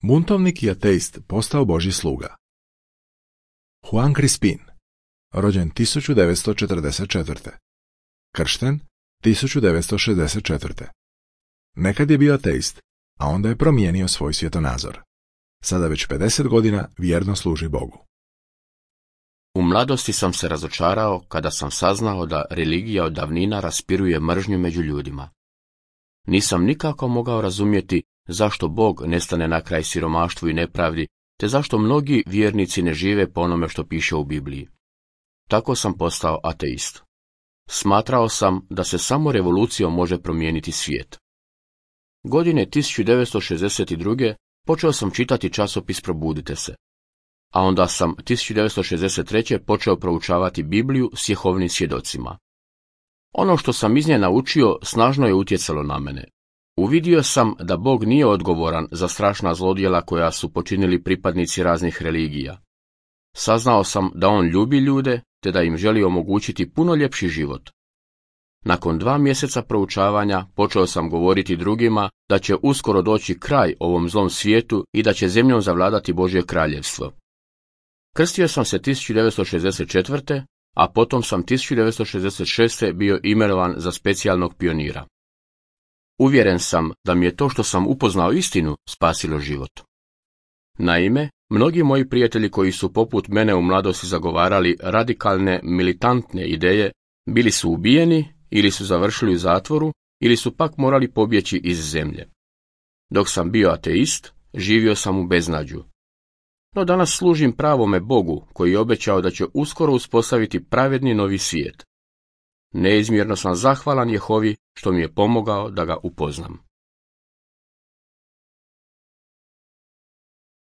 Buntovnik i ateist postao Božji sluga. Juan Crispin, rođen 1944. Kršten 1964. Nekad je bio ateist, a onda je promijenio svoj svjetonazor. Sada već 50 godina vjerno služi Bogu. U mladosti sam se razočarao kada sam saznao da religija od davnina raspiruje mržnju među ljudima. Nisam nikako mogao razumjeti zašto Bog ne stane na kraj siromaštvu i nepravdi, te zašto mnogi vjernici ne žive po onome što piše u Bibliji. Tako sam postao ateist. Smatrao sam da se samo revolucijom može promijeniti svijet. Godine 1962. počeo sam čitati časopis Probudite se, a onda sam 1963. počeo proučavati Bibliju s Jehovnim svjedocima. Ono što sam iz nje naučio snažno je utjecalo na mene. Uvidio sam da Bog nije odgovoran za strašna zlodjela koja su počinili pripadnici raznih religija. Saznao sam da on ljubi ljude, te da im želi omogućiti puno ljepši život. Nakon 2 mjeseca proučavanja počeo sam govoriti drugima da će uskoro doći kraj ovom zlom svijetu i da će zemljom zavladati Božje kraljevstvo. Krstio sam se 1964. a potom sam 1966. bio imenovan za specijalnog pionira. Uvjeren sam da mi je to što sam upoznao istinu spasilo život. Naime, mnogi moji prijatelji koji su poput mene u mladosti zagovarali radikalne, militantne ideje, bili su ubijeni ili su završili u zatvoru ili su pak morali pobjeći iz zemlje. Dok sam bio ateist, živio sam u beznađu. No danas služim pravome Bogu koji je obećao da će uskoro uspostaviti pravedni novi svijet. Neizmjerno sam zahvalan Jehovi što mi je pomogao da ga upoznam.